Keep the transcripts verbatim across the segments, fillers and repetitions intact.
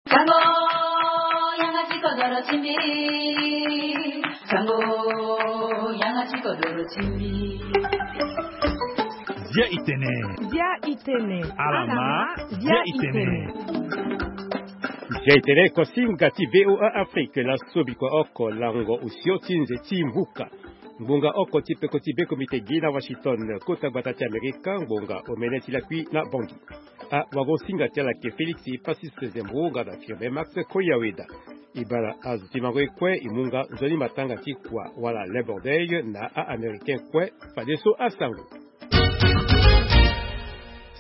Sango, yanga ti kodoro ti mbi. Sango, yanga ti kodoro ti mbi. Dia itene. Dia itene. Alama. Dia itene. Dia itene kosinga ti VOA Afrique, laso bikua oko lango osio ti nze ti mvuka. Ngbonga oko ti peko ti be komite gi na Washington, kota gbata ti Amerika, ngbonga omene ti lakui na Bangui. Awagosinga ti ala ke Félix Passis Zembo nga na Firmin Max Koyaweda. E baa na azo ti mango ye kue e mu nga nzoni matanga ti kua wala Labor Day na a-Américain kue. Fadeso asango.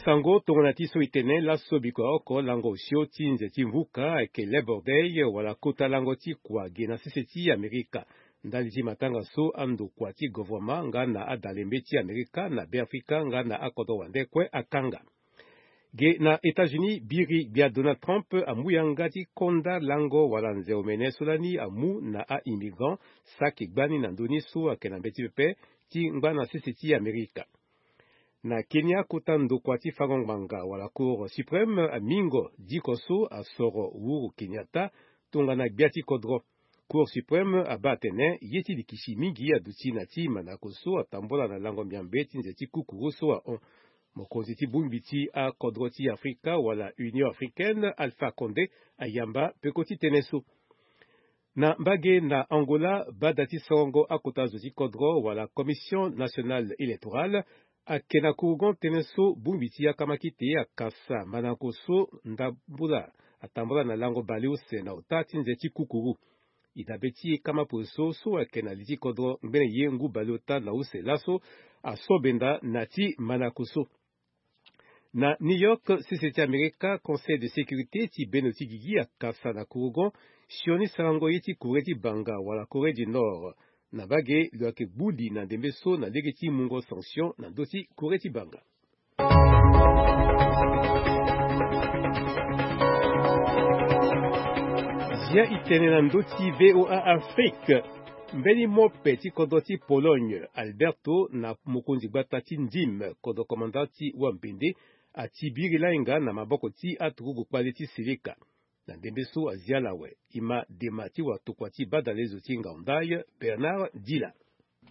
Sango tongana ti so e tene, laso bikua oko lango osio ti nze ti mvuka ayeke Labor Day wala kota lango ti kua ge na sese ti Amerika. Ndali ti matanga so andokua ti govoroma nga na adalembê ti Amerika na Beafrika nga na akodro wande kue akanga. Ge na États-Unis, biri gbia Donald Trump amu yanga ti konda lango wala nze omene so lani amu na a-immigrant saki gbani na ndö ni so ayeke na mbeti pepe ti ngba na sese ti Amerika. Na Kenya, kota ndokua ti fango ngbanga wala Cour suprême amingo diko so asoro Uhuru Kenyatta tongana gbia ti kodro. Cour suprême abaa atene ye ti likisi mingi aduti na ti mandako so atambola na lango miambe ti nze ti kukuru so ahon. Mokonzi ti bongbi ti akodro ti Afrika wala Union africaine, Alpha Condé, ayamba peko ti tënë so. Na mbage na Angola, bada ti sorongo akota zo ti kodro wala Commission nationale électorale ayeke na kurugon tënë so bongbi ti akamakite akasa mandango so ndambula atambola na lango baleuse na ota ti nze ti kukuru. E dabe ti e kama pue so so ayeke na li ti kodro ngbene ye ngu baleota na use laso aso benda na ti mandango so. Na New York, sese ti Amerika, Conseil de sécurité ti bendo ti gigi akasa na kurugon sioni sarango ye ti Corée ti banga wala Corée du Nord. Na mbage lo yeke gbu li na ndembe so na lege ti mungo sanction na ndö ti Corée ti banga. Zia e tene na ndö ti VOA Afrique. Mbeni mope ti kodro ti Pologne, Alberto, na mokonzi gbata ti ndim kodro komanda ti wampende, ati biri lainga na maboko ti aturugu kpale ti seleka. Na ndembe so azia ala awe, e ma dema ti watokua ti badalezo ti ngaundai, Bernard Dila.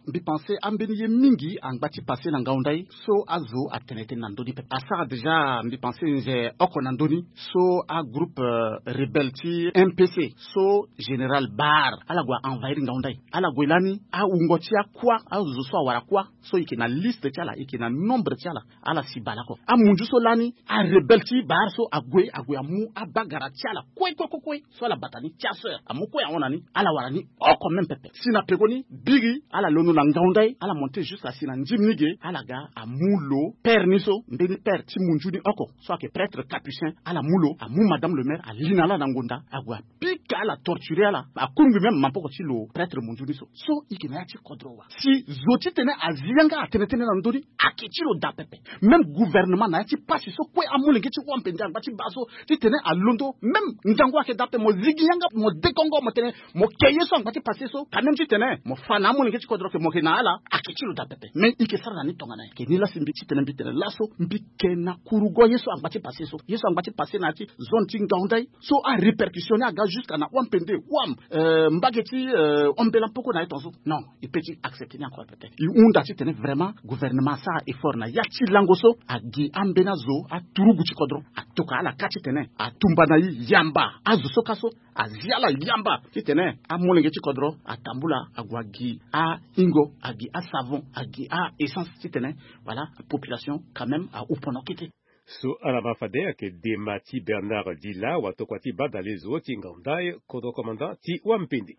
Mbi pense ambeni ye mingi angba ti passe na ngaundai so azo atene tënë na ndö ni pepe. Asara déjà mbi pense nze oko na ndö ni so agroupe, euh, rebelle ti M P C so général Bar ala gue a envahir ngaundai. Ala gue lani awungo ti akua, azo so awara kua so e yeke na liste ti ala, e yeke na nombre ti ala, ala si baleoko. Amunzu so lani arebelle ti Bar so ague, ague amu abagara ti ala kue kue kue kue. So ala bata ni ti aseur amu kue ahon na ni, ala wara ni oko même pepe. Si na pekoni biri ala londo na ngaundai, ala monte jusqu'à si na ndim ni ge, ala ga amu lo père ni so, mbeni père ti munzu ni oko so ayeke prêtre capucin, ala mu lo, amu madame le maire ali na ala na ngonda, ague apika ala, torturer ala, akungbi même maboko ti lo prêtre munzu ni so. So e yeke na ya ti kodro wa. Si zo titene azi yanga atene tënë na ndö ni, ayeke ti lo daa pepe. Même gouvernement na ya ti pasi so kue amolenge ti wampende angba ti baa so titene alondo même ngangu ayeke daa pepe, mo zigi yanga, mo dekongo, mo tene mo ke ye so angba ti passe so, quand même titene mo fa na amolenge ti kodro ke mo ke na ala, ayeke ti lo daa pepe. Mais e ke sara na ni tongana nyen? Ke ni la si mbi titene mbi tene laso mbi ke na kurugo ye so angba ti passe so. Ye so angba ti passe na ya ti zone ti ngaundai so arépercussion ni aga jusqu'à na wampende, wam, euh, mbage ti, euh, ombela mpoko na ye tongaso. Non, e peut ti accepter ni encore pepe. E hunda titene vraiment gouvernement asara effort na ya ti lango so, agi ambeni azo aturugu ti kodro, atoka ala ka titene atumba na e, yamba azo so ka so, azi ala yamba titene amolenge ti kodro atambula, ague agi ahingo, agi asavon, agi a-essence titene, voilà, population quand même ahupono kete. So ala ma fade ayeke dema ti Bernard Dila, watokua ti badalezo ti ngaundai, kodro commandant ti wampende.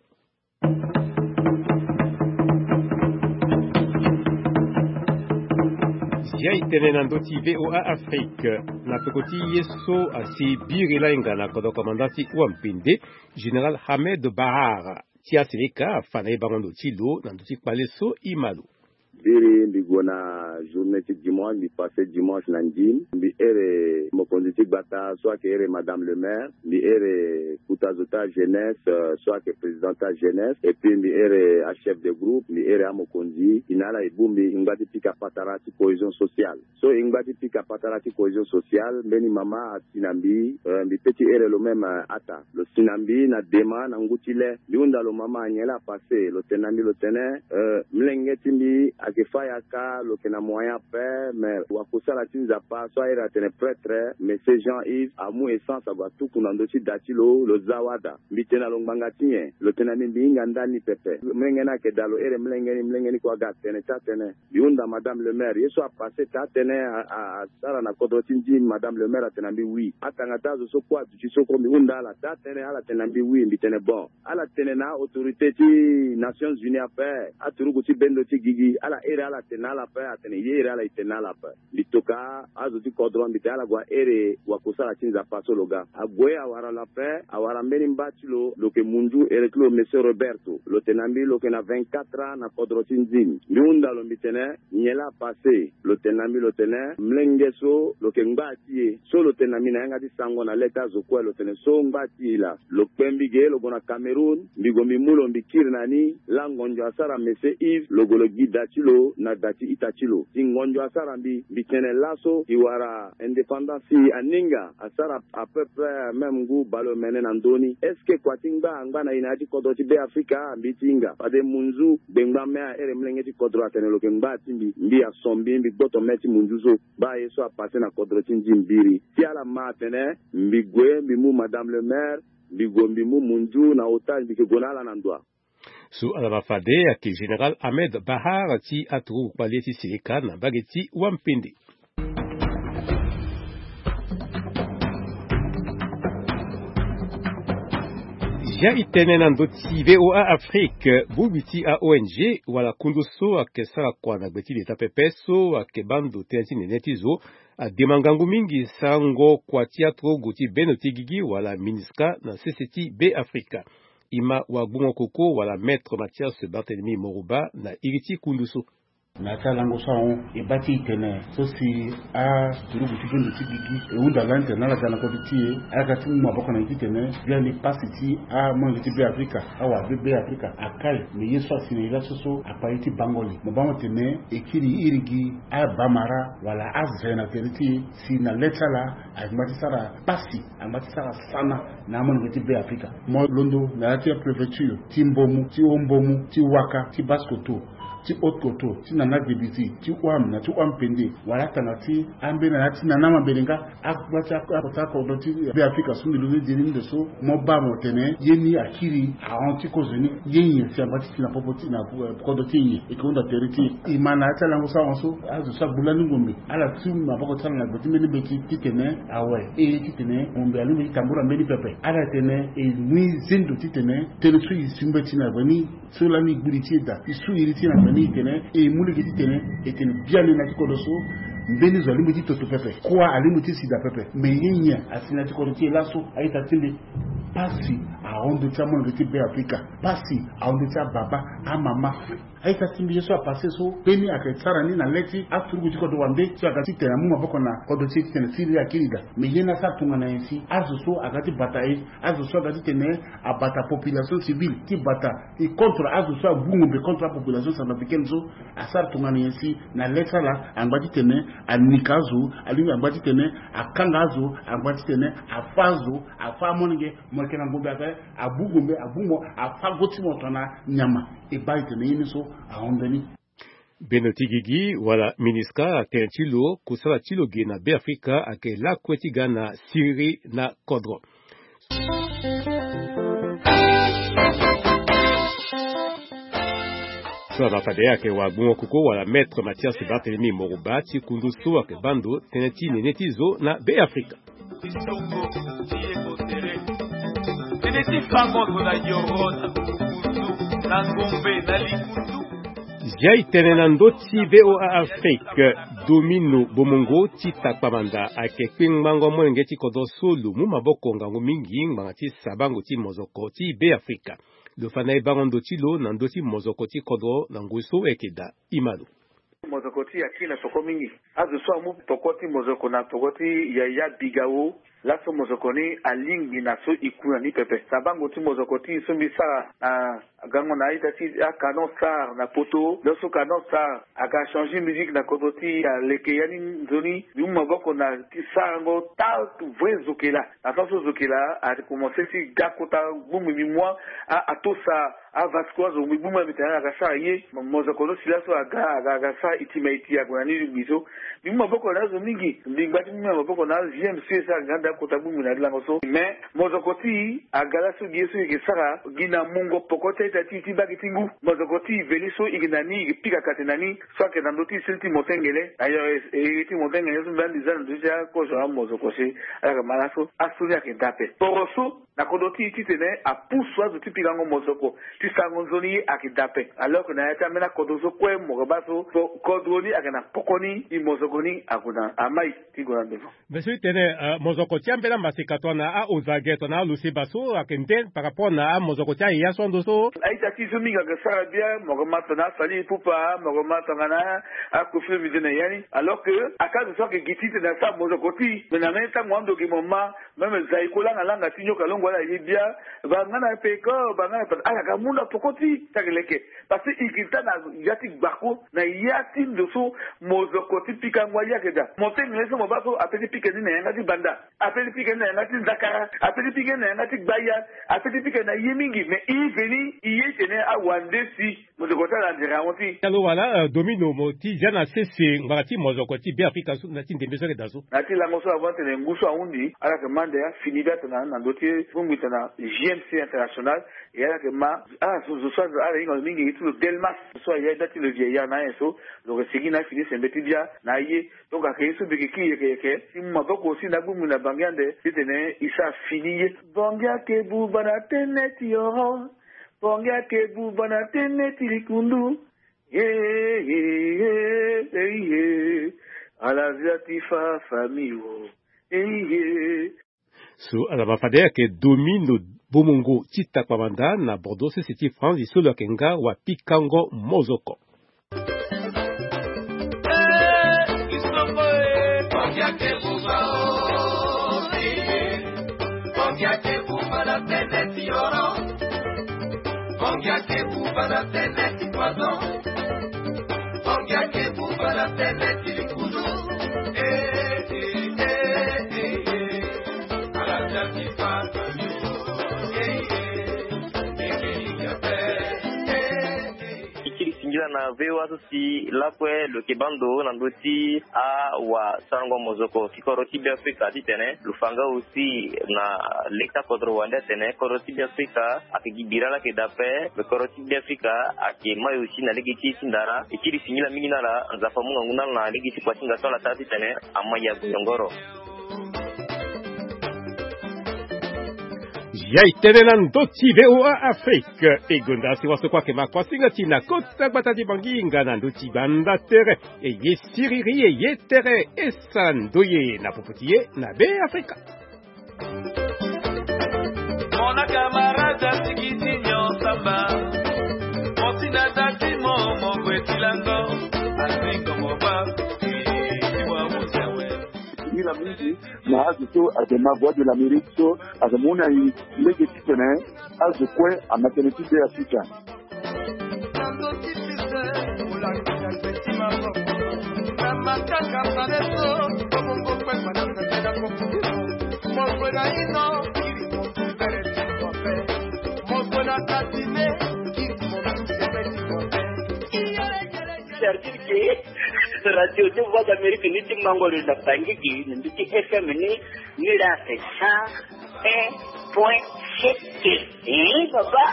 Zia e tene na ndö ti VOA Afrique, na peko ti ye so asi biri lainga na kodro commandant ti wampende, général Hamed Bahar ti aseleka afa na e bango ndo ti lo na ndö ti kpale so e ma lo. Biri mbi gue na journée ti dimanche, mbi passe dimanche na ndim. Mbi ere mokonzi ti gbata so ayeke ere madame le maire. Mbi ere kuta zo ti ajeunesse, euh, so ayeke président ti ajeunesse. Et puis mbi ere achef de groupe, mbi ere amokonzi. E na ala e bongbi e ngba ti pika patara ti cohésion sociale. So e ngba ti pika patara ti cohésion sociale, mbeni mama asi na mbi, euh, mbi pe ti ere lo même, euh, ata. Lo si na mbi na dema na ngu ti le. Mbi hunda lo mama, nyen laa apasse? Lo tene na mbi, lo tene, euh, molenge ti mbi ayeke fâ yaka, lo yeke na moyen ape, mais wakosala ti Nzapa so airi atene prêtre, Monsieur Jean Yves, amu essence ague atuku na ndö ti da ti lo, lo za wada. Mbi tene na lo ngbanga ti nyen? Lo tene na mbi, mbi hinga ndani pepe. Molenge ni ayeke daa, lo ere molenge ni, molenge ni kue aga atene ti atene. Mbi hunda madame le maire, ye so apasse taa tënë a, a, asara na kodro ti ndim, madame le maire atene na mbi oui. Atanga ti azo so kue aduti so kue, mbi hunda ala taa tënë, ala tene na mbi oui. Mbi tene bon, ala tene na autorité ti Nations Unies ape, aturugu ti bendo ti gigi, ala ere ala tene na ala ape, atene ye ere ala e tene na ala ape. Mbi toka azo ti kodro, mbi tene ala gue aere wakosala ti Nzapa so lo ga. Ague awara lo ape, awara mbeni mba ti lo, lo yeke munzu, ere ti lo Monsieur Roberto. Lo tene na mbi lo yeke na vingt-quatre ans na kodro ti ndim. Mbi hunda lo, mbi tene nyen laa apasse? Lo tene na mbi, lo tene molenge so lo yeke ngba ti e. So lo tene na mbi na yanga ti sango na le ti azo kue, lo tene so ngba ti e laa. Lo kpe mbi ge, lo gue na Cameroun, mbi gue mbi mu lo, mbi kiri na ni. Laa ngonzo asara Monsieur Yves, lo gue lo gi da ti lo na da ti ita ti lo. Si ngonzo asara mbi, mbi tene laso e wara indépendance, si aninga asara à peu près même ngu baleomene na ndö ni. Est-ce que kua ti ngba angba na e na ya ti kodro ti Be Afrika? Mbi ti hinga. Fade munzu gbengbame aere molenge ti kodro atene lo yeke ngba ti mbi. Mbi aso mbi, mbi gboto me ti munzu so. Baa ye so apasse na kodro ti ndim biri. Si ala ma atene mbi gue mbi mu madame le maire, mbi gue mbi mu munzu na otage, mbi yeke gue na ala na ndoa. So ala ma fade ayeke Général Ahmed Bahar ti aturugu kpale ti Seleka na mbage ti Wampende. Zia e tene na ndö ti V O A Afrique, bongbi ti a-O N G wala kundu so ayeke sara kua na gbe ti leta pepe so ayeke baa ndo tënë ti nene ti zo, adema ngangu mingi sarango kua ti aturugu ti bendo ti gigi wala MINUSCA na sese ti Be Afrika. E ma wagbongo koko wala Maître Mathias Barthélemy Moroba na iri ti kundu so. Na ya ti alango so ahon, e baa ti e tene so si aturugu ti bendo ti gigi e hunda lani tene na ala ga na kodro ti e, ala ga ti mu maboko na e ti tene biani pasi ti amolenge ti Be Afrika, awara be Be Afrika akai. Me ye so asi na e laso so akpa ye ti bango li. Mo baa mo tene e kiri iri gi abamara wala aze na tere ti e, si na le ti ala angba ti sara pasi, angba ti sara sana na amolenge ti Be Afrika. Mo londo na ya ti apréfecture ti Mbomou, ti Haut-Mbomou, ti Ouaka, ti Basse-Kotto, ti Haute-Kotto, ti Nana Gebisi, ti Ouham na ti Ouham-Pendé, wala atanga ti ambeni na ya ti Nana Mabelenga, akota akota kodro ti Be Afrika so mbi londo ni nzoni ndo so, mo baa mo tene ye ni akiri ahon ti kozo ni, ye nyen si angba ti si na popo ti na, eh, kodro ti e nyen? E yeke hunda tere ti e. E ma na ya ti alango so ahon so, azo so agbu lani ngombe, ala ti maboko ti ala na gbe ti mbeni mbeti ti tene awe, e ti tene ngombe alingbi ti tambula mbeni pepe. Ala tene e mu e zendo ti tene tënë so e si mbeti na gbe ni, so lani e gbu li ti e daa, e su iri ti e na gbe ni, e tene e mu lege ti tene e tene biani na ya ti kodro so mbeni zo alingbi ti toto pepe, kua alingbi ti si daa pepe. Me ye nyen asi na ya ti kodro ti e laso? A-ita ti mbi, pasi ahon ndö ti amolenge ti Be Afrika, pasi ahon ndö ti ababa, amama. A-ita ti mbi, ye so apasse so mbeni ayeke sara ni na le ti aturugu ti kodro wande so aga ti tene amu maboko na kodro ti e ti tene siriri akiri daa. Me ye ni asara tongana nyen si azo so aga ti bata e, azo so aga ti tene abata population civile ti bata e contre azo so agbu ngombe contre apopulation centrafricaine so, asara tongana nyen si na le ti ala angba ti tene anika azo, alingbi angba ti tene akanga azo, angba ti tene afâ azo, afâ amolenge. Mo yeke na ngombe ape, agbu ngombe, agbu mo, afâ go ti mo tongana nyama. E baa e tene ye ni so ahon ndö ni. Bendo ti gigi wala MINUSCA atene ti lo kusala ti lo ge na Be Afrika ayeke lakue ti ga na siriri na kodro. So ala ma fade ayeke wagbongo koko wala Maître Mathias Barthélemy Moroba ti kundu so ayeke baa ndo tënë ti nene ti zo na Be Afrika. Tënë ti fango zo na yoro, na kukundu, na ngombe, na likundu. Zia e tene na ndö ti V O A Afrique, Domino Bomongo ti Takpamanda ayeke kpengbango molenge ti kodro so lo mu maboko ngangu mingi ngbanga ti sabango ti mozoko ti Be Afrika. Lo fa na e bango ndo ti lo na ndö ti mozoko ti kodro na ngoi so ayeke daa. E ma lo. Mozoko ti e akiri na peko mingi. Azo so amu peko ti mozoko na peko ti yaya Bigao. Laso mozoko ni alingbi na so e ku na ni pepe. Sabango ti mozoko ti e so mbi sara na gango na a-ita ti a-Canon Star na poto. Laso Canon Star aga changer musique na kodro ti e, aleke ya ni nzoni. Mbi mu maboko na ti sarango ta vrai zokela. Na so so zokela akomanse ti ga kota gbongbi mbi mu a, atosa a-Vasco azo mbi gbu mbi tene aga sara ye. Mozoko so si laso aga aga aga sara iti ma iti ague na ni lingbi so. Mbi mu maboko na azo mingi. Mbi ngba ti mu maboko na azo M C S aga nda kota gbongbi na lango so. Mais mozoko ti e aga laso gi ye so e yeke sara gi na mungo peko ti a-ita ti e ti mbage ti ngu. Mozoko ti e veli so e yeke na ni e yeke pika kate na ni. So ayeke na ndö ti e sili ti motengele. Ayo e, e, e ti motengele so mbi andi za na ndö ti akozo amozoko si. Ala yeke ma laso aso ni ayeke da ape. Poro so na kodro ti e titene apusu azo ti pikango mozoko ti sarango nzoni ye ayeke da ape. Alors que na ya ti ambeni akodro so kue mo yeke baa so kodro ni ayeke na poko ni, e mozoko ni ague na amai ti gue na ndevo. Mbi so ti tene, eh, mozoko ti ambeni amaseka tongana a-Ozage tongana a-Loseba so ayeke nde par rapport na amozoko ti aye ya so ando so. A-ita ti e so mingi ayeke sara bia, mo yeke ma tongana a-Fally Ipupa, mo yeke ma tongana a-Koffi Olomide na ya ni. Alors que aka azo so ayeke gi titene asara mozoko ti e. Mais na mbeni tango ando ge mo ma Même Zaïko langa langa ti nyoka longo ala ye bia. Baa nga na peko, baa nga na peko. Ala ga mu na peko ti e ti ayeke leke. Parce que e yeke taa na ya ti gbako, na ya ti ndo so mozoko ti pikango aye ayeke daa. Motengele so mo baa so ape ti pika ni na yanga ti banda. Ape ti pika ni na yanga ti nzakara. Ape ti pika ni na yanga ti gbaya. Ape ti pika ni na ye mingi. Mais e veni, e ye tene awande si Mozoko ti ala nzere ahon ti. Talo wala, eh, Domino mo ti zia na sese ngbanga ti mozoko ti Beafrika so na ti ndembe so ayeke daa so. Na ya ti lango so avant tene ngu so ahunzi, ala yeke ma ande afini bia tongana na ndö ti bongbi tongana J M C International, e ala yeke ma, ah, zo, zo so ala hinga lo mingi, e ti lo Delmas, zo so aya bia ti lo vieillard na ayen so, lo yeke sigi na afini sembe ti bia na aye. Donc ayeke ye so mbi yeke kiri yeke yeke, ti mu maboko aussi na bongbi na Bangui ande, titene e sara fini ye. Bangui ayeke buba na tënë ti oro. Bangui ayeke buba na tënë ti likundu. Ye, ye, ye, ye, ye. Ala zia ti fa famille o. Ye, ye. So ala ma fade ayeke Domino Bomongo ti Takpamanda na Bordeaux, sese ti France, so lo yeke nga wapikango mozoko. E kiri singila na V O A so si lakue lo yeke baa ndo na ndö ti awasarango mozoko ti kodro ti Beafrika titene lo fa nga aussi na leta kodro wande atene kodro ti Beafrika ayeke gi bira ala yeke daa ape. Me kodro ti Beafrika ayeke mai aussi na lege ti e ti ndara. E kiri singila mingi na ala, Nzapa amu ngangu na ala na lege ti kuasinga so ala sara titene amai ague yongoro. Ya e tene na ndö ti V O A Afrique. E gonda si waso kue ayeke ma kuasinga ti e na kota gbata ti Bangui nga na ndö ti banda tere. E ye siriri, e ye tere, e sara ndoye na popo ti e na Beafrika. Mon camarade asigiti nyon samba. Mon tinata ti mo, mon gwe ti lango. Azingo mo ba. Ti wa wuzawe. Singila mingi na azo so ayeke ma Voix de l'Amérique so ayeke mu na e lege titene azo kue ama tënë ti Beafrika. C'est-à-dire que Radio de Voix d'Amérique ni ti mango lo na Bangui gi na ndö ti F M ni, ni la fait cent un point sept. Eh, papa.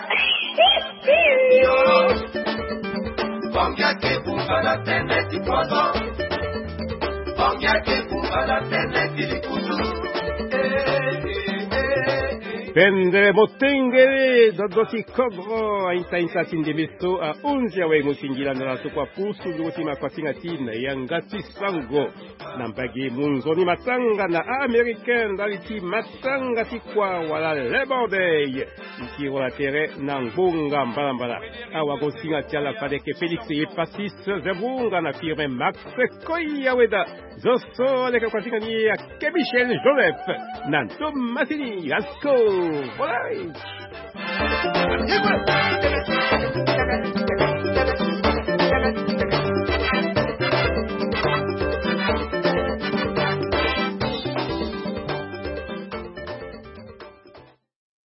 Pendre motengere dodo ti kodro, ainta ainta ti ndembe so ahunzi awe. Mo singila na ala so kue apusu nduru ti makuasinga ti e na yanga ti sango. Na mbage munzoni matanga na Américain ndali ti matanga ti kua wala Labor Day. Nti wala tere na ngbonga mbalambala. Awa ko singa ti ala fade ke Félix Epasis Zebunga na Firmin Max Koyaweda. Zo so aleke kua ti nga ni ake Michel Joseph na ndo masini asko. Voilà.